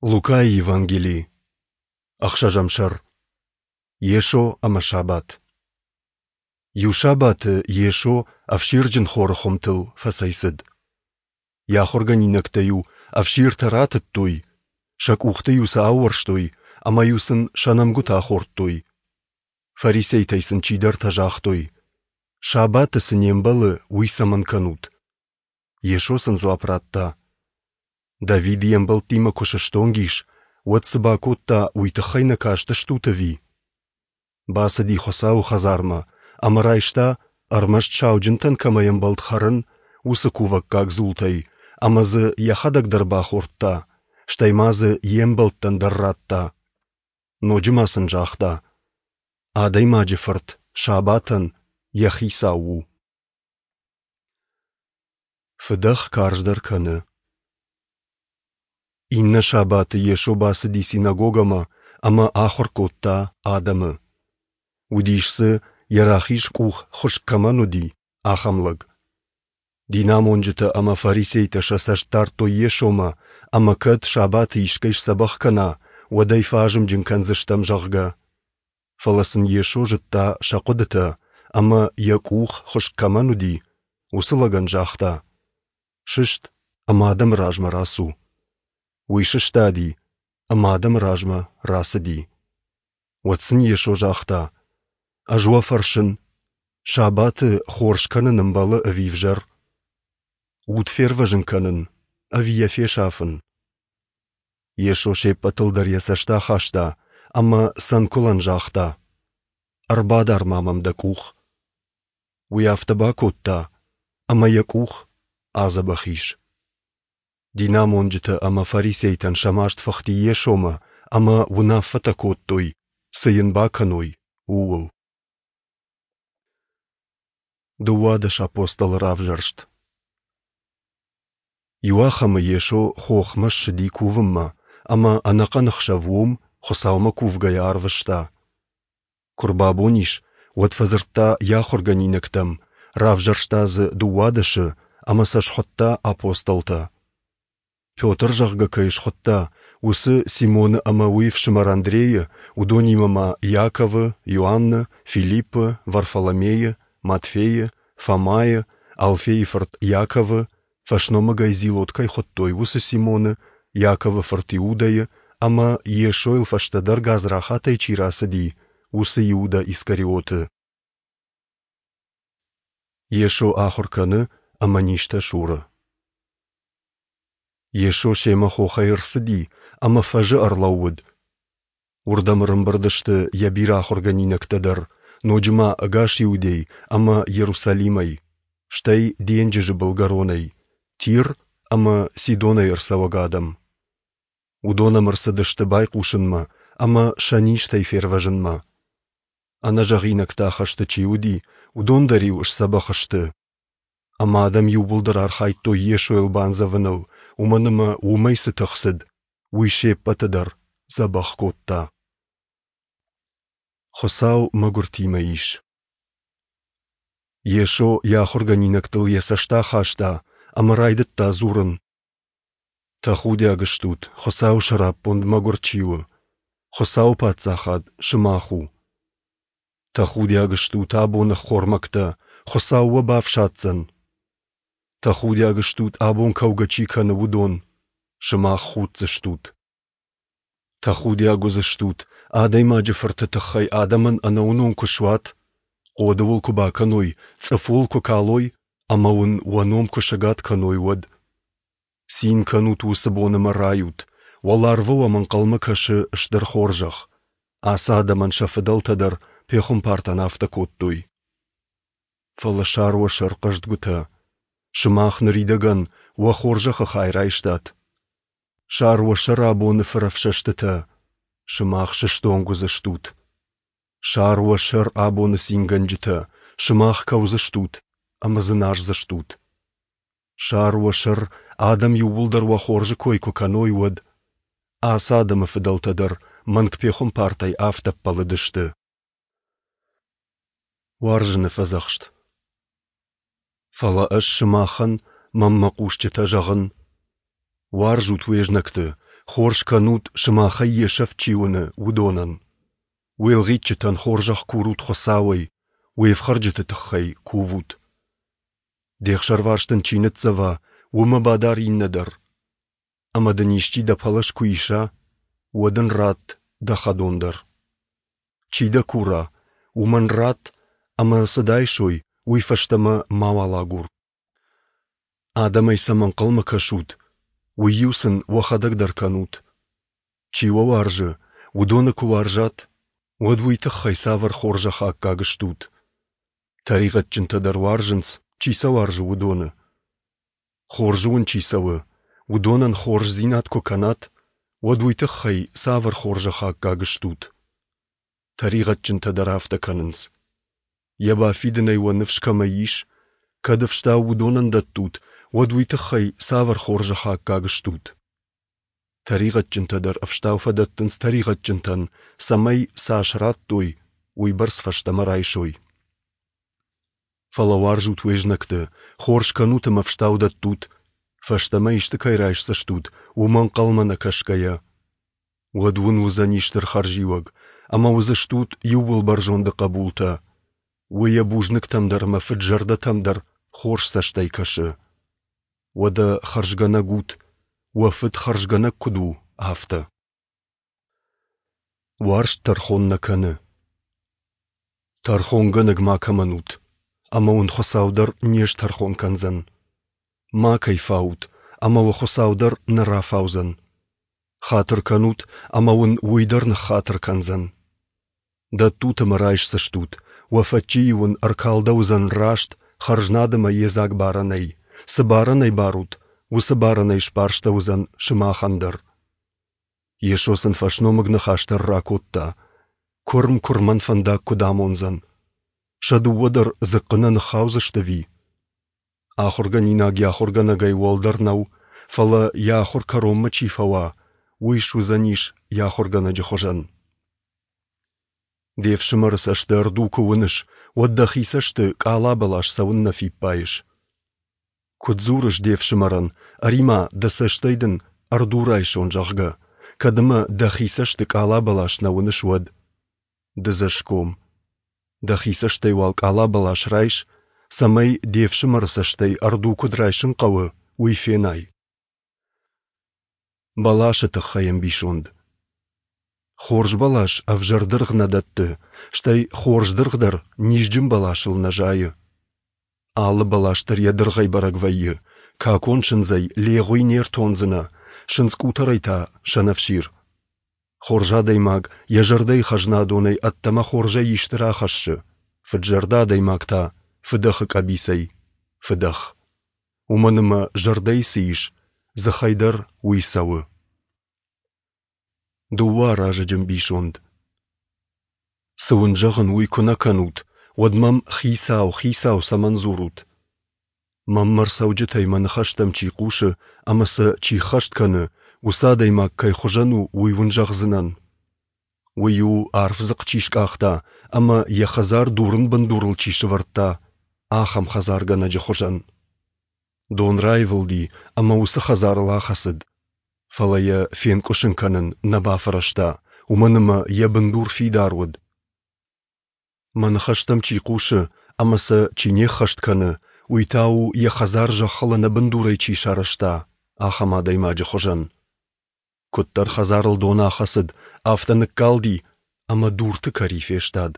Лукайы Евангели, ӕхсӕзӕм сӕр. Йесо ӕмӕ сабат. Иу сабаты Йесо ӕфсирджын хоры хуымтыл фӕцӕйцыд. Йӕ ахуыргӕнинӕгтӕ-иу ӕфсиртӕ ратыдтой, сӕ къухты-иу сӕ аууӕрстой ӕмӕ-иу сын сӕ нӕмгуытӕ ахордтой. Фарисейтӕй сын чидӕртӕ загътой: Сабаты цы не мбӕлы, уый цӕмӕн кӕнут? Йесо сын дзуапп радта: Давид йе мбӕлттимӕ куы сыстонг ис, уӕд цы бакодта, уый тыххӕй нӕ кастыстут ӕви? Бацыди Хуыцауы хӕдзармӕ ӕмӕ райста, ӕрмӕст сауджынтӕн кӕмӕй ӕмбӕлд хӕрын, уыцы кувӕггаг дзултӕй, ӕмӕ дзы йӕхӕдӕг дӕр бахордта, стӕй ма дзы йе мбӕлттӕн дӕр радта. Ноджы ма сын загъта: Адӕймаджы Фырт сабатӕн йӕ хицау у. Фыдӕх карздӕр кӕны. Иннӕ сабаты Йесо бацыди синагогӕмӕ ӕмӕ ахуыр кодта адӕмы. Уыдис дзы, йӕ рахиз къух хуыскъ кӕмӕн уыди, ахӕм лӕг. Динамонджытӕ ӕмӕ фарисейтӕ сӕ цӕст дардтой Йесомӕ, ӕмӕ кӕд сабаты искӕй сдзӕбӕх кӕна, уӕд ӕй фӕазымджын кӕндзыстӕм, зӕгъгӕ. Фӕлӕ сын Йесо зыдта сӕ хъуыдытӕ ӕмӕ, йӕ къух хуыскъ кӕмӕн уыди, уыцы лӕгӕн загъта: «Сыст ӕмӕ адӕмы размӕ рацу». Уый сыстади ӕмӕ адӕмы размӕ рацыди. Уӕд сын Йесо загъта: «Ӕз уӕ фӕрсын, сабаты хорз кӕнын ӕмбӕлы ӕви ӕвзӕр? Уд фервӕзын кӕнын ӕви йӕ фесафын?» Йесо се ппӕтыл дӕр йӕ цӕст ахаста ӕмӕ цӕнкуылӕн загъта: «Ӕрбадар-ма мӕм дӕ къух». Уый афтӕ бакодта, ӕмӕ йӕ къух адзӕбӕх ис. Динамонджытӕ ӕмӕ фарисейтӕн сӕ маст фыхти Йесомӕ ӕмӕ уынаффӕтӕ кодтой, цы йын бакӕной, ууыл. 12 апостолы равзӕрст. Иуахӕмы Йесо хохмӕ ссыди кувынмӕ ӕмӕ ӕнӕхъӕн ӕхсӕв уым, Хуыцаумӕ кувгӕйӕ, арвыста. Куы рбабон ис, уӕд фӕдзырдта йӕ ахуыргӕнинӕгтӕм, равзӕрста дзы 12-ы ӕмӕ сӕ схуыдта апостолтӕ. Петр, зӕгъгӕ, кӕй схуыдта, уыцы Симоны ӕмӕ уый ӕфсымӕр Андрейы, уыдонимӕ ма Иаковы, Иоанны, Филиппы, Варфоломейы, Матфейы, Фомайы, Алфейы фырт Иаковы, фӕсномыгӕй Зилот кӕй хуыдтой, уыцы Симоны, Иаковы фырт Иудӕйы ӕмӕ Йесойыл фӕстӕдӕр гадзрахатӕй чи рацыди, уыцы Иудӕ Искариоты. Йесо ахуыр кӕны ӕмӕ низтӕ суры. Йесо семӕ хохӕй ӕрцыди ӕмӕ фӕзы ӕрлӕууыд. Уырдӕм ӕрӕмбырд сты йӕ бирӕ ахуыргӕнинӕгтӕ дӕр, ноджы ма ӕгас Иудей ӕмӕ Иерусалимӕй, стӕй денджызы былгӕронӕй, Тир ӕмӕ Сидонӕй ӕрцӕуӕг адӕм. Уыдон ӕм ӕрцыдысты байхъусынмӕ ӕмӕ сӕ низтӕй фервӕзынмӕ. Ӕнӕзӕгъинӕгтӕ ахӕсты чи уыди, уыдон дӕр-иу сдзӕбӕх сты. Ӕмӕ адӕм иууылдӕр архайдтой Йесойыл бандзӕвыныл, уымӕн ӕмӕ уымӕй цы тых цыд, уый се ппӕты дӕр дзӕбӕх кодта. Хуыцау мӕгуыртимӕ ис. Йесо йӕ ахуыргӕнинӕгтыл йӕ цӕст ахаста ӕмӕ райдыдта дзурын: Тӕхудиаг стут, Хуыцауы сӕраппонд мӕгуыр чи у. Хуыцауы паддзахад сымах у. Тӕхудиаг стут абоны ӕххормӕгтӕ, Хуыцау уӕ бафсаддзӕн. Тӕхудиаг стут, абон кӕугӕ чи кӕны, уыдон, сымах худдзыстут. Тӕхудиаг уыдзыстут, Адӕймаджы Фырты тыххӕй адӕмӕн ӕнӕуынон куы суат, хъоды уыл куы бакӕной, цъыф уыл куы калой ӕмӕ уын уӕ ном куы сӕгад кӕной, уӕд. Цин кӕнут уыцы бон ӕмӕ райут, уӕларвы уӕм ӕнхъӕлмӕ кӕсы стыр хорзӕх. Ацы адӕмӕн сӕ фыдӕлтӕ дӕр пехуымпартӕн афтӕ кодтой. Фӕлӕ сар уӕ сӕр хъӕздгуытӕ, сымах ныридӕгӕн уӕ хорзӕхы хай райстат. Сар уӕ сӕр абоны фырӕфсӕстытӕ, сымах сыстонг уыдзыстут. Сар уӕ сӕр абоны цингӕнджытӕ, сымах кӕудзыстут ӕмӕ дзыназдзыстут. Сар уӕ сӕр, адӕм иууылдӕр уӕ хорзы кой куы кӕной, уӕд. Ацы адӕмы фыдӕлтӕ дӕр мӕнг пехуымпартӕй афтӕ ӕппӕлыдысты. Уарзыны фӕдзӕхст. Фӕлӕ ӕз сымахӕн, мӕнмӕ хъусджытӕ, зӕгъын: уарзут уе знӕгты, Хорз кӕнут, сымахӕй йе сӕфт чи уыны, уыдонӕн. Уе лгъитджытӕн хорзӕх курут Хуыцауӕй, уе фхӕрджыты тыххӕй кувут. Де хсӕрварс дын чи ныццӕва, уымӕ бадар иннӕ дӕр. Ӕмӕ дын исчи дӕ пӕлӕз куы иса, уӕд ын ратт дӕ хӕдон дӕр. Чи дӕ кура, уымӕн ратт, ӕмӕ цы дайсой, уый фӕстӕмӕ мауал агур. Адӕмӕй цӕмӕ ӕнхъӕлмӕ кӕсут, уый-иу сын уӕхӕдӕг дӕр кӕнут. Чи уӕ уарзы, уыдоны куы уарзат, уӕд уый тыххӕй цавӕр хорзӕхы аккаг стут? Тӕригъӕдджынтӕ дӕр уарзынц, чи сӕ уарзы, уыдоны. Хорзы уын чи цӕуы, уыдонӕн хорздзинад куы кӕнат, уӕд уый тыххӕй цавӕр хорзӕхы аккаг стут? Тӕригъӕдджынтӕ дӕр афтӕ кӕнынц. Йӕ бафидынӕй уӕ ныфс кӕмӕй ис, кӕд ӕфстау уыдонӕн дӕттут, уӕд уый тыххӕй цавӕр хорзӕхы аккаг стут? Тӕригъӕдджынтӕ дӕр ӕфстау фӕдӕттынц тӕригъӕдджынтӕн, цӕмӕй, цас радтой, уыйбӕрц фӕстӕмӕ райсой. Фӕлӕ уарзут уе знӕгты, хорз кӕнут ӕмӕ ӕфстау дӕттут, фӕстӕмӕ исты кӕй райсдзыстут, уымӕ ӕнхъӕлмӕ нӕ кӕсгӕйӕ. Уӕд уын уыдзӕни стыр хӕрзиуӕг, ӕмӕ уыдзыстут Иууылбӕрзонды хъӕбултӕ. Уый йӕ бузныгтӕм дӕр ӕмӕ фыд-зӕрдӕтӕм дӕр хорз цӕстӕй кӕсы. Уӕдӕ хӕрзгӕнӕг ут, уӕ Фыд хӕрзгӕнӕг куыд у, афтӕ. Уарзт тӕрхон нӕ кӕны. Тӕрхонгӕнӕг макӕмӕн ут, ӕмӕ уын Хуыцау дӕр не стӕрхон кӕндзӕн. Макӕй фаут, ӕмӕ уӕ Хуыцау дӕр нӕ рафаудзӕн. Хатыр кӕнут, ӕмӕ уын уый дӕр ныххатыр кӕндзӕн. Дӕттут ӕмӕ райсдзыстут, уӕ фӕччийы уын ӕркалдӕуыдзӕн раст, хӕрзнад ӕмӕ йедзаг барӕнӕй, цы барӕнӕй барут, уыцы барӕнӕй сбарстӕуыдзӕн сымахӕн дӕр. Йесо сын фӕсномыг ныхас дӕр ракодта, куырм куырмӕн фӕндаг куыд амондзӕн? Сӕ дыууӕ дӕр дзыхъхъы нӕ ныххаудзысты ӕви? Ахуыргӕнинаг йӕ ахуыргӕнӕгӕй уӕлдӕр нӕу, фӕлӕ йӕ ахуыр кӕронмӕ чи фӕуа, уый суыдзӕнис йӕ ахуыргӕнӕджы хуызӕн. Де фсымӕры цӕсты ӕрду куы уыныс, уӕд дӕхи цӕсты къала бӕлас цӕуыннӕ фиппайыс? Куыд дзурыс де фсымӕрӕн, ӕри-ма, дӕ цӕстӕй дын ӕрду райсон, зӕгъгӕ, кӕд ӕмӕ дӕхи цӕсты къала бӕлас нӕ уыныс, уӕд? Дыдзӕсгом. Дӕхи цӕстӕй уал къала бӕлас райс, цӕмӕй де фсымӕры цӕстӕй ӕрду куыд райсын хъӕуы, уый фенай. Бӕласы тыххӕй ӕмбисонд. Хорз бӕлас ӕвзӕр дыргъ нӕ дӕтты, стӕй хорз дыргъ дӕр низджын бӕласыл нӕ зайы. Алы бӕлас дӕр йӕ дыргъӕй бӕрӕг вӕййы, какон сындзӕй легъуи не ртондзынӕ, сындз къутӕрӕй та сӕнӕфсир. Хорз адӕймаг йӕ зӕрдӕйы хӕзнадонӕй ӕддӕмӕ хорзӕй исты рахӕссы, фыд-зӕрдӕ адӕймаг та фыдӕхы къӕбицӕй фыдӕх. Уымӕн ӕмӕ зӕрдӕйы цы ис, дзыхӕй дӕр уый цӕуы. Дыууӕ аразӕджы ӕмбисонд. Цы уын зӕгъын, уый куы нӕ кӕнут, уӕд мӕм «Хицау, Хицау» цӕмӕн дзурут? Мӕнмӕ ӕрцӕуджытӕй мӕ ныхӕстӕм чи хъусы ӕмӕ сӕ чи ххӕст кӕны, уыцы адӕймаг кӕй хуызӕн у, уый уын зӕгъдзынӕн. Уый у, арф дзыхъхъ чи скъахта ӕмӕ йӕ хӕдзар дурын бындурыл чи сӕвӕрдта, ахӕм хӕдзаргӕнӕджы хуызӕн. Дон раивылди ӕмӕ уыцы хӕдзарыл ахӕцыд, фӕлӕ йӕ фенкъуысын кӕнын нӕ бафӕрӕзта, уымӕн ӕмӕ йӕ бындур фидар уыд. Мӕ ныхӕстӕм чи хъусы ӕмӕ сӕ чи не ххӕст кӕны, уый та у, йӕ хӕдзар зӕххыл ӕнӕбындурӕй чи сарӕзта, ахӕм адӕймаджы хуызӕн. Куыддӕр хӕдзарыл дон ахӕцыд, афтӕ ныккалди ӕмӕ дурты кӕри фестад.